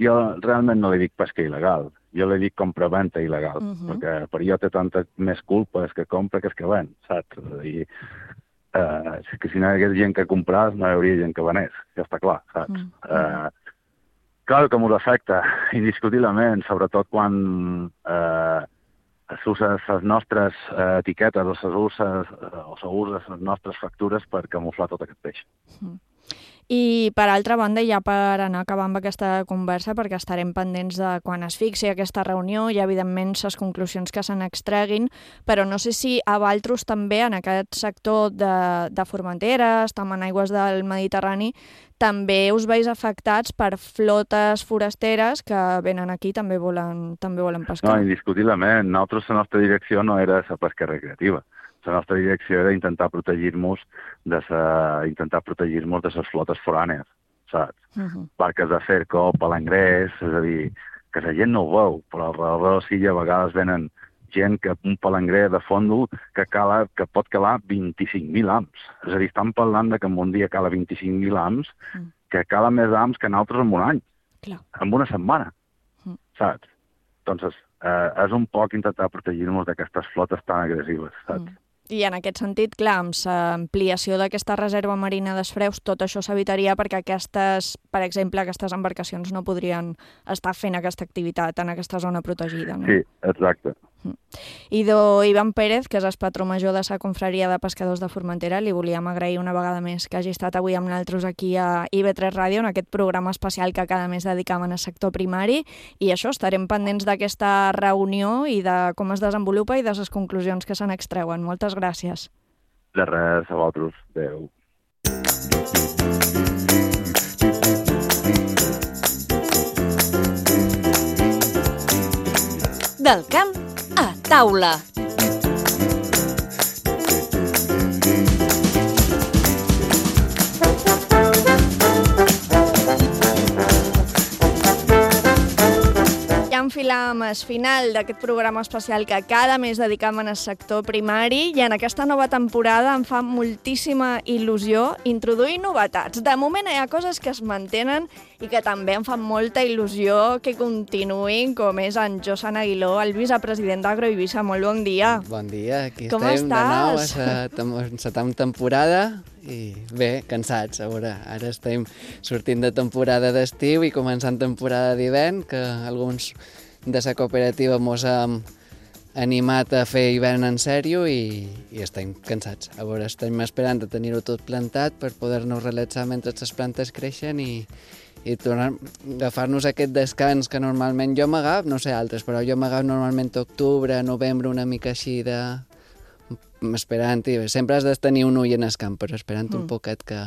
jo realment no li dic pesca il·legal, jo li dic compra-venta il·legal, perquè per jo té tanta més culpa que compra que ven, saps? I que si no hi hagués gent que compràs, no hi hauria gent que venés, ja està clar, saps? Clar que m'ho afecta, indiscutiblement, sobretot quan s'usen les nostres etiquetes o s'usen les nostres factures per camuflar tot aquest peix. I, per altra banda, ja per anar acabant amb aquesta conversa, perquè estarem pendents de quan es fixi aquesta reunió i, evidentment, les conclusions que se n'extreguin, però no sé si a vosaltres també, en aquest sector de Formentera, estem en aigües del Mediterrani, també us veus afectats per flotes forasteres que venen aquí i també volen pescar. No, indiscutiblement. Nosaltres, la nostra direcció no era la pesca recreativa. La nostra direcció era intentar protegir-nos de les flotes forànies, saps? Barques de cerco, palangrers, és a dir, que la gent no ho veu, però alrededor sí a vegades venen gent que un palangrer de fondo que pot calar 25.000 ams. És a dir, estan parlant que en un dia cala 25.000 ams, que cala més ams que nosaltres en un any, en una setmana, saps? Entonces, és un poc intentar protegir-nos d'aquestes flotes tan agressives, saps? I en aquest sentit, clar, amb l'ampliació d'aquesta reserva marina dels Freus, tot això s'evitaria perquè per exemple, aquestes embarcacions no podrien estar fent aquesta activitat en aquesta zona protegida, no? Sí, exacte. Idò Ivan Pérez, que és el patró major de la Confraria de Pescadors de Formentera, li volíem agrair una vegada més que hagi estat avui amb nosaltres aquí a IB3 Ràdio, en aquest programa especial que cada mes dedicam al sector primari, i això, estarem pendents d'aquesta reunió i de com es desenvolupa i de les conclusions que se n'extreuen. Moltes gràcies. De res, a vosaltres. Adéu. Del camp a taula. Ja enfilàvem el final d'aquest programa especial que cada mes dedicam al sector primari i en aquesta nova temporada em fa moltíssima il·lusió introduir novetats. De moment hi ha coses que es mantenen i que també em fan molta il·lusió que continuïn, com és en Josan Aguiló, el vicepresident d'Agroeivissa. Molt bon dia. Bon dia, aquí Com estem de nou estàs? a la temporada i bé, cansats. A veure, ara estem sortint de temporada d'estiu i començant temporada d'hivern, que alguns de la cooperativa mos hem animat a fer hivern en sèrio i estem cansats. A veure, estem esperant a tenir-ho tot plantat per poder-nos relaxar mentre les plantes creixen i tornar a agafar-nos aquest descans que normalment jo m'agaf, no sé altres, però jo m'agaf normalment octubre, novembre, una mica així de... esperant, i sempre has de tenir un ull en el camp, però esperant un poquet que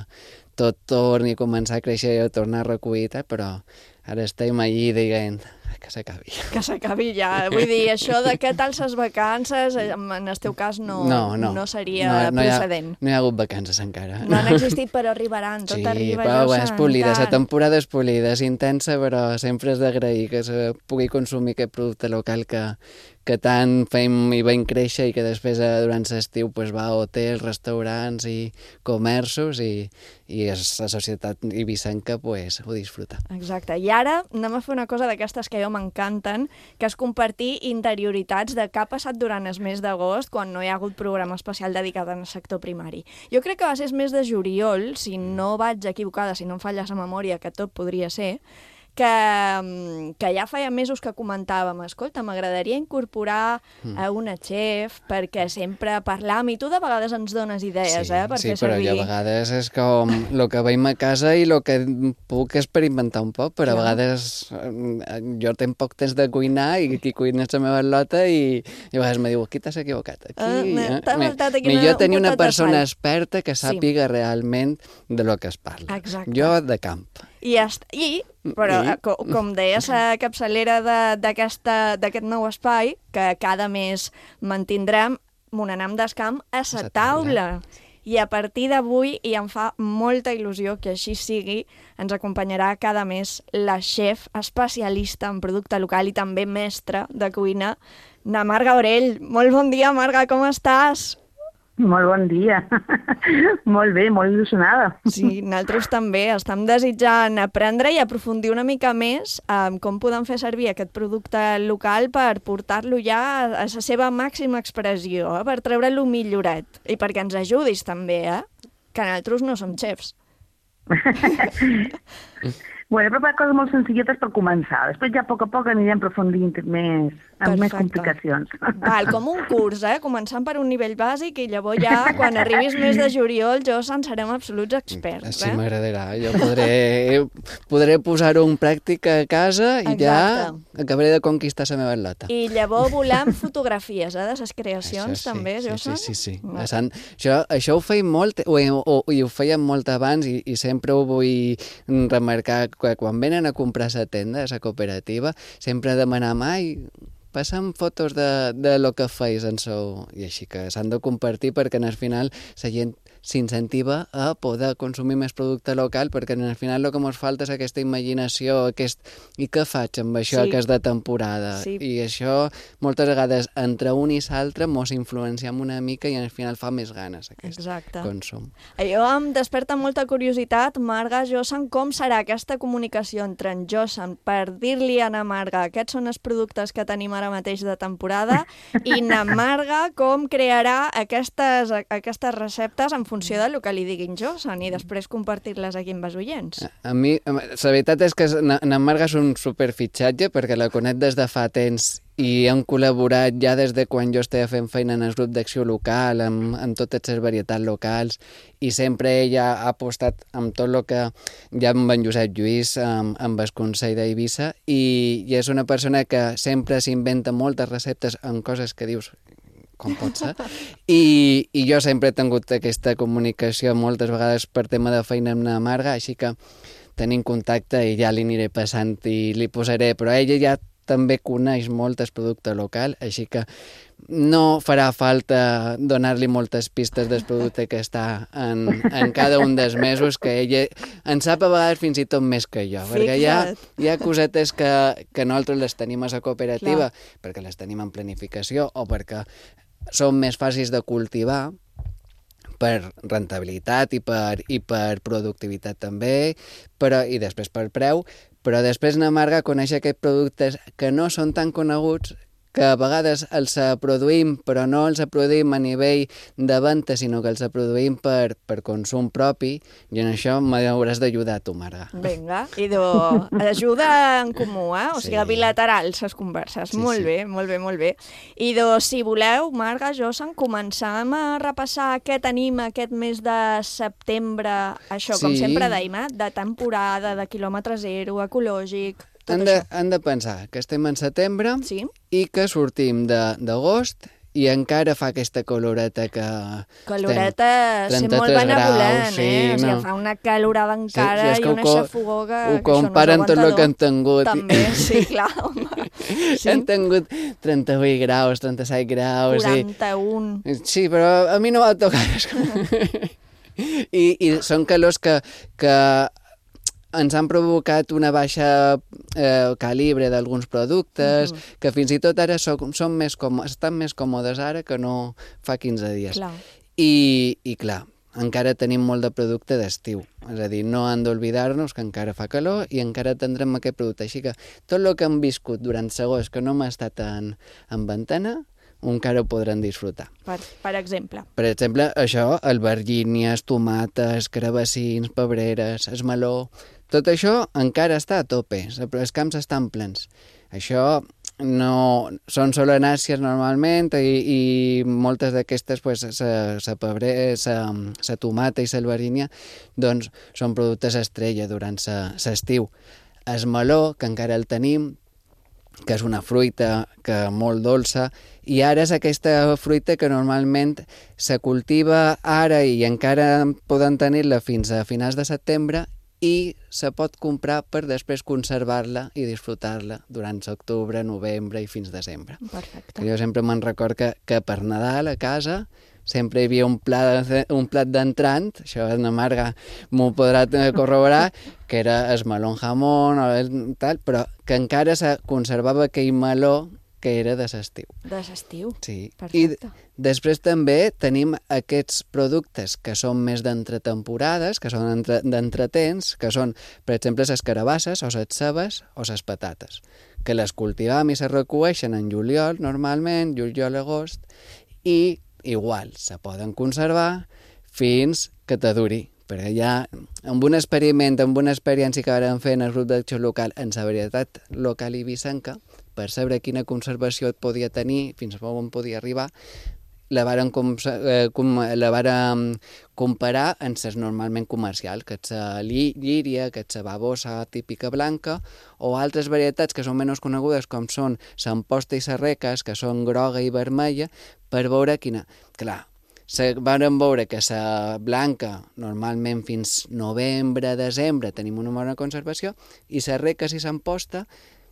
tot torni a començar a créixer i a tornar a recollir, però ara estem allí dient que s'acabi. Que s'acabi ja. Vull dir, això de què tal les vacances, en el teu cas no seria procedent. No hi ha hagut vacances encara. No han existit, però arribaran. Tot arriba, però és polida, la tant. temporada és polida, és intensa, però sempre és d'agrair que se pugui consumir aquest producte local que tant fem i veiem créixer i que després durant l'estiu va a hotels, restaurants i comerços i la societat ibicenca ho disfruta. Exacte. I ara anem a fer una cosa d'aquestes que a jo m'encanten, que és compartir interioritats de què ha passat durant el mes d'agost quan no hi ha hagut programa especial dedicat al sector primari. Jo crec que va ser el mes de juliol, si no vaig equivocada, si no em falla la memòria, que tot podria ser, que ja feia mesos que comentàvem, escolta, m'agradaria incorporar a una xef perquè sempre parlam i tu de vegades ens dones idees, per fer servir. Sí, però jo a vegades és com el que veiem a casa i el que puc experimentar un poc, però a vegades jo tinc poc temps de cuinar i qui cuina és la meva lota i a vegades me diu, aquí t'has equivocat. Millor tenir una persona experta que sàpiga realment de lo que es parla. Exacte. Jo de camp. Però com deia la capçalera d'aquest nou espai, que cada mes mantindrem Monanam d'Escamp a la taula. I a partir d'avui, i em fa molta il·lusió que així sigui, ens acompanyarà cada mes la xef especialista en producte local i també mestra de cuina, na Marga Orell. Molt bon dia, Marga, com estàs? Molt bon dia. Molt bé, molt il·lusionada. Sí, nosaltres també estem desitjant aprendre i aprofundir una mica més en com podem fer servir aquest producte local per portar-lo ja a la seva màxima expressió, per treure-lo millorat. I perquè ens ajudis també, que nosaltres no som xefs. Bueno, he preparat coses molt senzilletes per començar. Després ja a poc anirem aprofundint més complicacions. Val, com un curs, començant per un nivell bàsic i llavors ja, quan arribis més de juliol, serem absoluts experts. Sí, m'agradarà. Jo podré posar-ho en pràctica a casa i ja acabaré de conquistar la meva lota. I llavors volem fotografies de les creacions també, Josan? Sí. Això ho feim molt, i ho fèiem molt abans i sempre ho vull remarcar, que quan venen a comprar a la tenda, a la cooperativa, sempre demanam, passa'm fotos de lo que feis en sou. I així que s'han de compartir perquè al final la gent s'incentiva a poder consumir més producte local, perquè al final el que ens falta és aquesta imaginació, i què faig amb això que és de temporada? I això moltes vegades entre un i l'altre ens influenciem una mica i al final fa més ganes aquest consum. Jo em desperta molta curiositat, Marga, Josan, com serà aquesta comunicació entre en Josan per dir-li a na Marga aquests són els productes que tenim ara mateix de temporada i na Marga com crearà aquestes receptes en funció del que li diguin Josan i després compartir-les aquí amb els oients. A mi, la veritat és que na Marga és un superfitxatge perquè la conec des de fa temps i hem col·laborat ja des de quan jo estava fent feina en el grup d'acció local, amb totes les varietats locals, i sempre ella ha apostat amb tot el que ja amb en Josep Lluís, amb el Consell d'Eivissa, i és una persona que sempre s'inventa moltes receptes en coses que dius com pot ser, i jo sempre he tingut aquesta comunicació moltes vegades per tema de feina amb la Marga, així que tenim contacte i ja li aniré passant i li posaré, però ella ja també coneix molt el producte local, així que no farà falta donar-li moltes pistes del producte que està en cada un dels mesos, que ella en sap a vegades fins i tot més que jo, perquè hi ha cosetes que nosaltres les tenim a la cooperativa, perquè les tenim en planificació o perquè són més fàcils de cultivar, per rentabilitat i per productivitat també, i després per preu, però després na Marga coneix aquests productes que no són tan coneguts, que a vegades els produïm, però no els produïm a nivell de venda, sinó que els produïm per consum propi, i en això m'hauràs d'ajudar tu, Marga. Vinga, ajuda en comú, o sigui, bilaterals les converses. Molt bé, molt bé, molt bé. I si voleu, Marga, Josan, començam a repassar què tenim aquest mes de setembre, això, com sempre dèiem, de temporada, de quilòmetre zero, ecològic... Han de pensar que estem en setembre i que sortim d'agost i encara fa aquesta caloreta que... Caloreta sent molt benevolent, o sigui, fa una calorada encara i una xafogó que ho comparen tot el que han tingut. També, sí, clar, home. Han tingut 38 graus, 37 graus... 41. Sí, però a mi no va tocar. I són calors que ens han provocat una baixa calibre d'alguns productes, que fins i tot ara estan més còmodes ara que no fa 15 dies. I clar, encara tenim molt de producte d'estiu. És a dir, no han d'oblidar-nos que encara fa calor i encara tindrem aquest producte. Així que tot el que hem viscut durant segons que no hem estat en ventana, encara ho podran disfrutar. Per exemple? Per exemple, això, albergínies, tomates, carabassins, pebreres, el meló... Tot això encara està a tope, els camps estan plens. Això no són solanàcies normalment i moltes d'aquestes, la tomata i l'albergínia, doncs són productes estrella durant l'estiu. El meló, que encara el tenim, que és una fruita molt dolça, i ara és aquesta fruita que normalment se cultiva ara i encara poden tenir-la fins a finals de setembre i se pot comprar per després conservar-la i disfrutar-la durant octubre, novembre i fins desembre. Perfecte. Jo sempre me'n record que per Nadal a casa sempre hi havia un plat d'entrant, això la Marga m'ho podrà corroborar, que era el meló amb jamón, però que encara se conservava aquell meló que era de l'estiu. De l'estiu? Sí. Perfecte. I després també tenim aquests productes que són més d'entretemporades, que són d'entretemps, que són, per exemple, les carabasses o les cebes o les patates, que les cultivam i se recueixen en juliol, normalment, juliol-agost, i igual se poden conservar fins que te duri. Perquè ja, amb un experiment, amb una experiència que vam fer en el grup d'acció local en la varietat local ibicenca, per saber quina conservació et podia tenir, fins on podia arribar, la vàrem comparar amb les normalment comercials, que és la llíria, que és la babosa típica blanca, o altres varietats que són menys conegudes, com són l'amposta i la reques, que són groga i vermella, per veure quina... Clar, vam veure que la blanca, normalment fins novembre, desembre, tenim una bona conservació, i les reques i l'amposta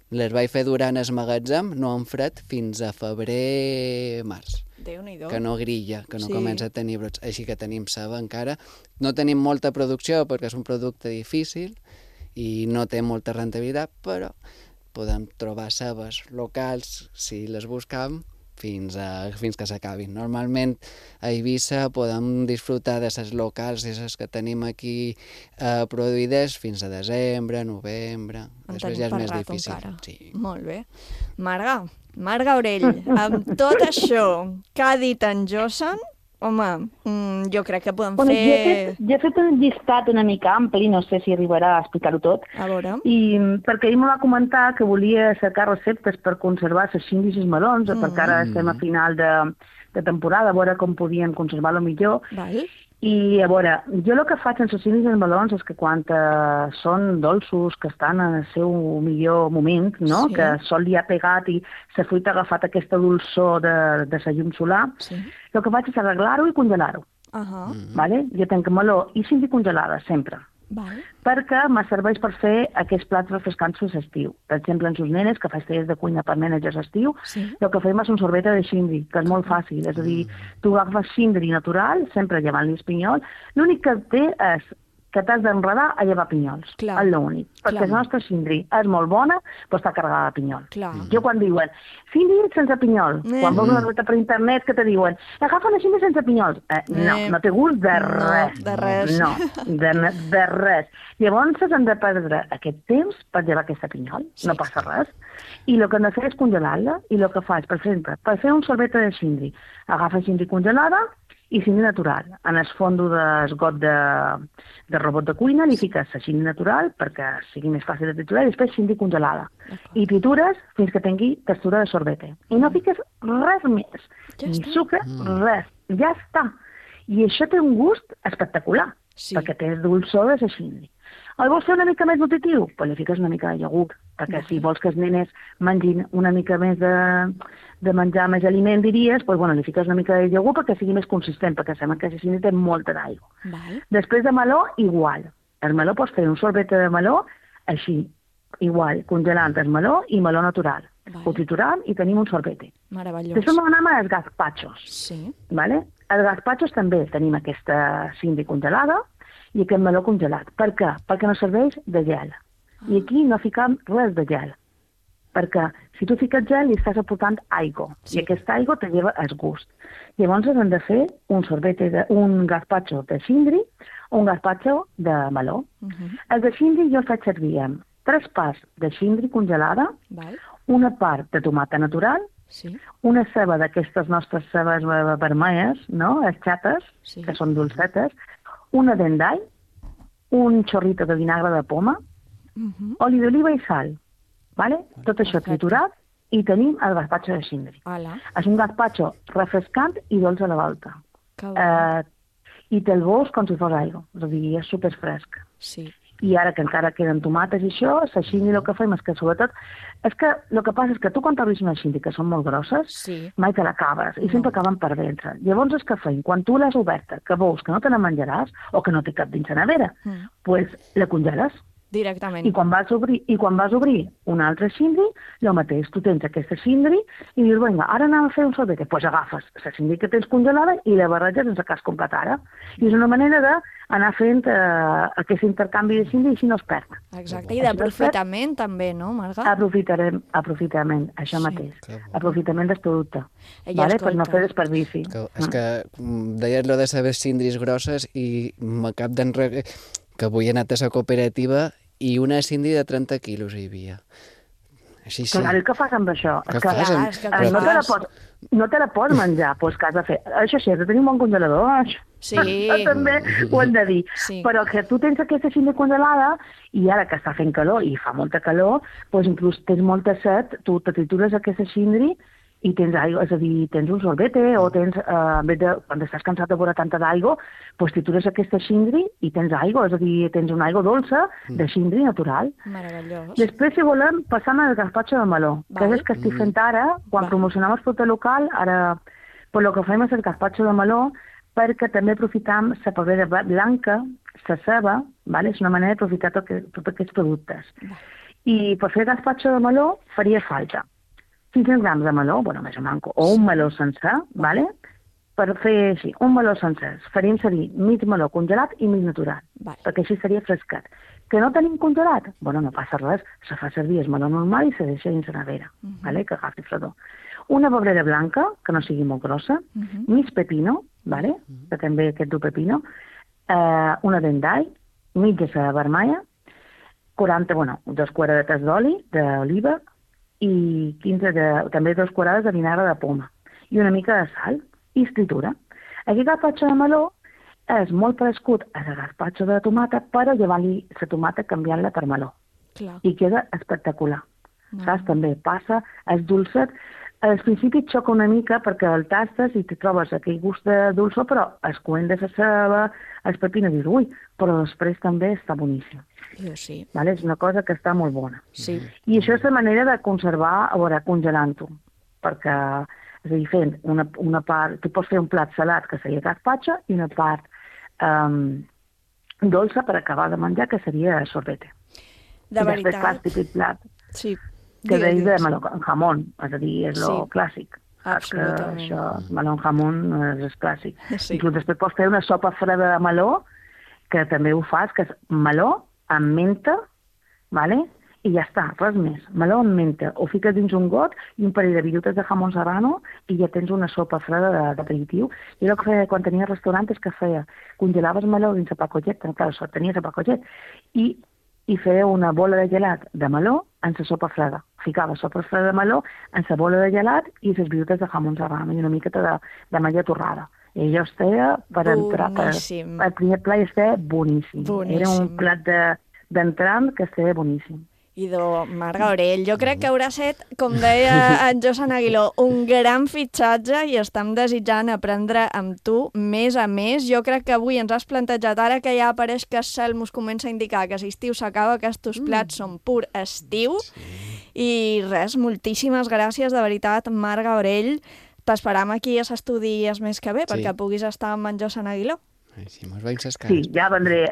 les vaig fer durant el magatzem, no en fred, fins a febrer-març. Déu-n'hi-do. Que no grilla, que no comença a tenir brots. Així que tenim ceba encara. No tenim molta producció perquè és un producte difícil i no té molta rentabilitat, però podem trobar cebes locals, si les buscam, fins que s'acabin. Normalment a Eivissa podem disfrutar de les locals i les que tenim aquí produïdes fins a desembre, novembre. Després ja és més difícil. Sí. Molt bé. Marga Aurell, amb tot això que ha dit en Josan, Home, jo crec que podem Bueno, fer... jo he fet un llistat una mica ampli, no sé si arribarà a explicar-ho tot, A veure... perquè ell me va comentar que volia cercar receptes per conservar les xindis i els melons, perquè ara estem a final de temporada, a veure com podien conservar-lo millor. Val. I a veure, jo el que faig amb les xindis i els melons és que quan són dolços, que estan en el seu millor moment, no? Sí. Que el sol li ha pegat i la fruita ha agafat aquesta dolçor de la llum solar, el que faig és arreglar-ho i congelar-ho. Vale? Jo tenc meló i xindi congelada, sempre. Perquè me serveix per fer aquests plats refrescants per l'estiu. Per exemple, en sus nenes, que faig tallers de cuina per nenes a l'estiu, el que fem és un sorbet de xindri, que és molt fàcil. És a dir, tu agafes xindri natural, sempre llevant-li el pinyol, l'únic que té és que t'has d'enredar a llevar pinyols. És l'únic. Perquè la nostra xindri és molt bona, però està carregada de pinyol. Jo quan diuen, xindri sense pinyol, quan veus una recepta per internet que te diuen, agafa una xindri sense pinyols. No té gust de res. De res. No, de res. Llavors hem de perdre aquest temps per llevar aquesta pinyol, no passa res. I el que hem de fer és congelar-la, i el que faig, per exemple, per fer un sorbet de xindri, agafa xindri congelada, i xindri natural. En el fondo del got de robot de cuina li fiques la xindri natural perquè sigui més fàcil de triturar i després xindri congelada. I tritures fins que tingui textura de sorbete. I no fiques res més. Ni sucre, res. Ja està. I això té un gust espectacular, perquè té el dolçor de la xindri. El vols fer una mica més nutritiu? Pues li fiques una mica de iogurt, perquè si vols que els nenes mengin una mica més de menjar més aliment, diries, pues, bueno, li fiques una mica de iogurt perquè sigui més consistent, perquè sembla que la xindri té molta d'aigua. Després de meló, igual. El meló pots fer un sorbet de meló així, igual, congelant el meló i meló natural. Ho triturant i tenim un sorbete. Meravellós. Després anem als gazpachos. Vale? Els gazpachos també tenim aquesta xindri congelada i aquest meló congelat. Per què? Perquè no serveix de gel. I aquí no ficam res de gel. Perquè si tu fiques gel li estàs aportant aigua. I aquesta aigua te lleva el gust. Llavors hem de fer un gazpacho de xindri o un gazpacho de meló. El de xindri jo el faig servir amb 3 parts de xindri congelada, una part de tomata natural, una ceba d'aquestes nostres cebes vermelles, no? Les xates, que són dolcetes, una dent d'all, un xorrito de vinagre de poma, oli d'oliva i sal. Vale? Tot això triturat i tenim el gazpacho de xindri. És un gazpacho refrescant i dolç a la volta. I te'l veus com si fos aigua, és a dir, és superfresc. I ara que encara queden tomates i això, la xindri el que fem és que sobretot... És que el que passa és que tu quan t'obris una xindri que són molt grosses, mai te l'acabes i sempre acaben per dentro. Llavors és que fem, quan tu l'has oberta, que veus que no te la menjaràs o que no té cap dins la nevera, doncs la congeles. Directament. I quan vas obrir un altre xindri, el mateix. Tu tens aquesta xindri i dius, vinga, ara anem a fer un sorbet. Doncs agafes la xindri que tens congelada i la barreges sense que has comprat ara. I és una manera d'anar fent aquest intercanvi de xindri i així no es perd. Exacte, i d'aprofitament també, no, Marga? Aprofitament, això mateix. Aprofitament del producte, per no fer desperdici. És que deies lo de saber xindris grosses i m'acab d'enregar que avui he anat a la cooperativa i una xindri de 30 quilos hi havia. Així sí. Clar, què fas amb això? No te la pots menjar, doncs què has de fer? Això sí, has de tenir un bon congelador, també ho hem de dir. Però que tu tens aquesta xindri congelada i ara que està fent calor i fa molta calor, doncs inclús tens molta set, tu te tritures aquesta xindri i tens aigua, és a dir, tens un sorbete o tens, quan estàs cansat de veure tanta d'aigua, doncs tritures aquesta xindri i tens aigua, és a dir, tens una aigua dolça de xindri natural. Meravellós. Després, si volem, passam al gazpacho de meló, que és el que estic fent ara, quan promocionem el producte local, ara, el que fem és el gazpacho de meló, perquè també aprofitam la pebrera blanca, la ceba, és una manera d'aprofitar tots aquests productes. I per fer gazpacho de meló faria falta 500 grams de meló, més o manco, o un meló sencer, per fer així, un meló sencer, faríem servir mig meló congelat i mig natural, perquè així seria frescat. Que no tenim congelat? No passa res, se fa servir el meló normal i se deixa dins la nevera, que agafi fredor. Una pebrera blanca, que no sigui molt grossa, mig pepino, que també aquest du pepino, una dent d'all, mitja ceba vermella, 2 cucharadetes d'oli, d'oliva, i també 2 cucharades de vinagre de poma i una mica de sal i es tritura. Aquest gazpacho de meló és molt parescut al gazpacho de tomata, però llevant-li la tomata canviant-la per meló. Clar. I queda espectacular. Saps? També passa, és dolcet. Al principi et xoca una mica perquè el tastes i te trobes aquell gust de dolçor, però el coent de la ceba, els pepines, dius, ui, però després també està boníssim. Sí. Vale? És una cosa que està molt bona. Sí. I això és la manera de conservar, a veure, congelant-ho, perquè, és a dir, fent una part, tu pots fer un plat salat, que seria gazpacho, i una part dolça per acabar de menjar, que seria sorbete. De I veritat. després fas típic plat. Sí. Que deia de meló amb jamón, és a dir, és lo Sí. clàssic. Absolutament. Que això, meló amb jamón és clàssic. Sí. Inclús després pots fer una sopa freda de meló, que també ho fas, que és meló amb menta, vale? I ja està, res més. Meló amb menta. Ho fiques dins un got i un parell de virutes de jamón serrano i ja tens una sopa freda d'aperitiu. Jo el que feia quan tenia restaurant és que feia, congelaves meló dins el pacollet, clar, tenies el pacollet, i feia una bola de gelat de meló en la sopa freda. Ficava sopa freda de meló en la bola de gelat i les virutes de jamón serrano i una miqueta de malla torrada. I allò estava per entrar, el primer plat estava boníssim. Era un plat d'entrant que estava boníssim. Idò, Marga Aurell, jo crec que haurà set, com deia en Josan Aguiló, un gran fitxatge i estem desitjant aprendre amb tu més a més. Jo crec que avui ens has plantejat, ara que ja apareix que el cel mos comença a indicar que l'estiu s'acaba, que aquests plats són pur estiu. I res, moltíssimes gràcies, de veritat, Marga Aurell. T'esperam aquí a l'estudi més que bé, perquè puguis estar amb en Josan Aguiló. Sí, mos veiem ses cares. Sí, ja vendré.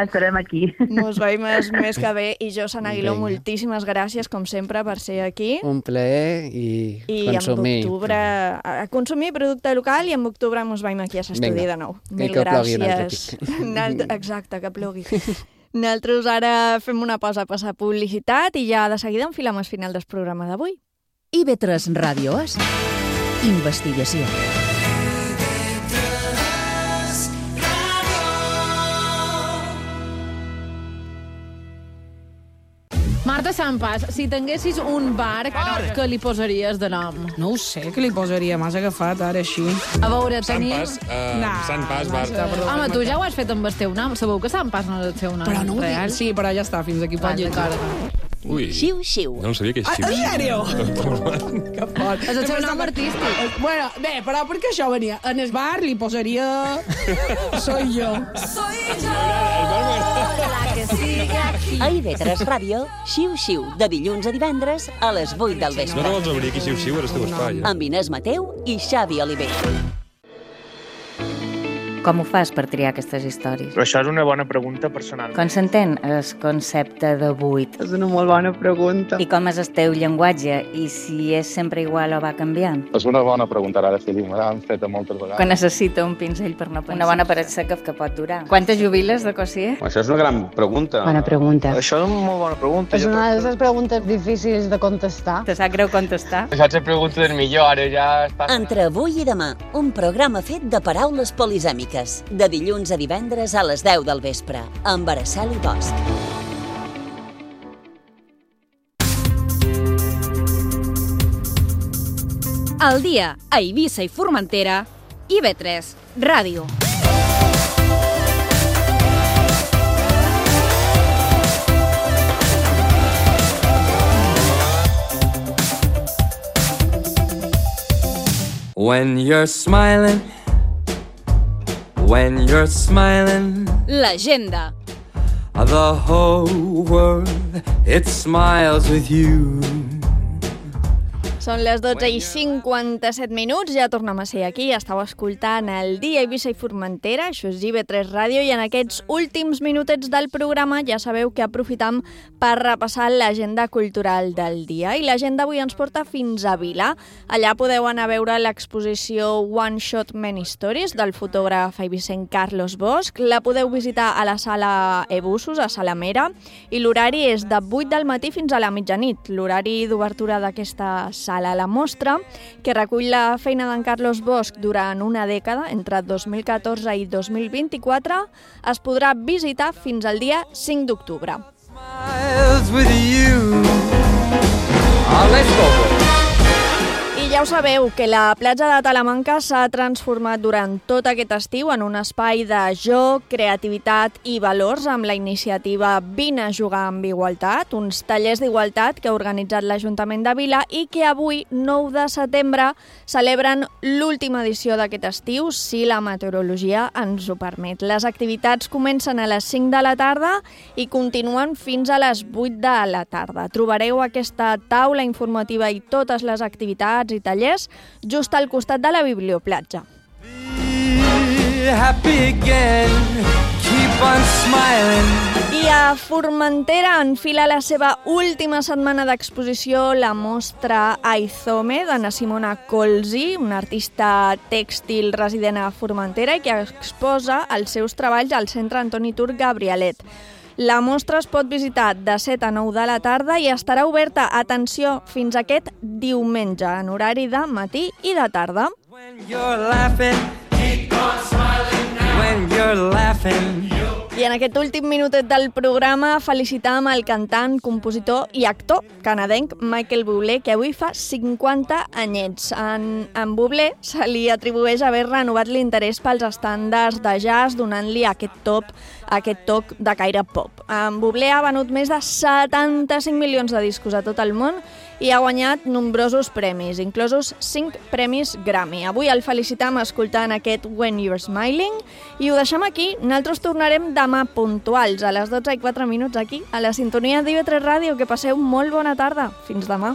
Estarem aquí. Mos veiem més que bé. I Josan Aguiló, moltíssimes gràcies, com sempre, per ser aquí. Un plaer i I consumir. en octubre, a consumir producte local i en octubre mos veiem aquí a l'estudi de nou. Mil que gràcies. Exacte, que plogui. Nosaltres ara fem una pausa a passar publicitat i ja de seguida enfilem el final del programa d'avui. IB3 Ràdio és investigació. Marta Sampas, si tinguessis un bar, què li posaries de nom? No ho sé, què li posaria? M'has agafat ara així. A veure, tenim... Sant Pas, bar. Home, tu ja ho has fet amb el teu nom. Sabeu que Sant Pas no és el seu nom Però no ho real? dic. Sí, però ja està, fins aquí pot llegir. Ui, Xiu-xiu. no sabia que és En sèrio? xiu-xiu. Que fort. És el seu nom artístic. Bueno, bé, però per què això venia? En el bar li posaria... Soy yo. A IB3 Ràdio, Xiu-xiu, de dilluns a divendres a les 8 del No vespre. te vols obrir aquí, xiu-xiu, era el teu espai. Amb Inés Mateu i Xavi Oliver. Com ho fas per triar aquestes històries? Però això és una bona pregunta personal. Com s'entén el concepte de buit? És una molt bona pregunta. I com és el teu llenguatge? I si és sempre igual o va canviant? És una bona pregunta, ara sí, me l'han fet moltes vegades. Quan necessita un pinzell per no pensar. Una bona paret seca que pot durar. Quantes jubiles de cosier? Això és una gran pregunta. Bona pregunta. Això és una molt bona pregunta. És una de les preguntes difícils de contestar. Te sap greu contestar? Això és la pregunta del millor, ara ja està... Entre avui i demà, un programa fet de paraules polisèmiques. De dilluns a divendres a les 10 del vespre, amb Araceli Bosch. Al dia a Eivissa i Formentera, IB3 Ràdio. When you're smiling, L'agenda. the whole world, it smiles with you. Són les 12:57, ja tornem a ser aquí, estàu escoltant el dia Eivissa i Formentera, això és IB3 Ràdio, i en aquests últims minutets del programa ja sabeu que aprofitam per repassar l'agenda cultural del dia, i l'agenda avui ens porta fins a Vila. Allà podeu anar a veure l'exposició One Shot Many Stories del fotògraf eivissenc Carlos Bosch, la podeu visitar a la sala Ebussos, a Salamera, i l'horari és de 8 del matí fins a la mitjanit, l'horari d'obertura d'aquesta sala. La mostra, que recull la feina d'en Carlos Bosch durant una dècada, entre 2014 i 2024, es podrà visitar fins al dia 5 d'octubre. I Ja ho sabeu, que la platja de Talamanca s'ha transformat durant tot aquest estiu en un espai de joc, creativitat i valors amb la iniciativa Vine a jugar amb igualtat, uns tallers d'igualtat que ha organitzat l'Ajuntament de Vila i que avui, 9 de setembre, celebren l'última edició d'aquest estiu, si la meteorologia ens ho permet. Les activitats comencen a les 5 de la tarda i continuen fins a les 8 de la tarda. Trobareu aquesta taula informativa i totes les activitats i tallers just al costat de la biblioplatja. I a Formentera enfila la seva última setmana d'exposició la mostra Aizome de na Simona Colzi, una artista tèxtil resident a Formentera i que exposa els seus treballs al Centre Antoni Turc Gabrielet. La mostra es pot visitar de 7 a 9 de la tarda i estarà oberta, atenció, fins aquest diumenge, en horari de matí i de tarda. I en aquest últim minutet del programa felicitàvem el cantant, compositor i actor canadenc Michael Bublé, que avui fa 50 anyets. En Bublé se li atribueix haver renovat l'interès pels estàndards de jazz, donant-li aquest toc de caire pop. En Bublé ha venut més de 75 milions de discos a tot el món i ha guanyat nombrosos premis, inclosos 5 premis Grammy. Avui el felicitam escoltant aquest When You're Smiling i ho deixem aquí. Nosaltres tornarem demà puntuals a les 12:04 aquí, a la sintonia d'IV3 Ràdio. Que passeu molt bona tarda. Fins demà.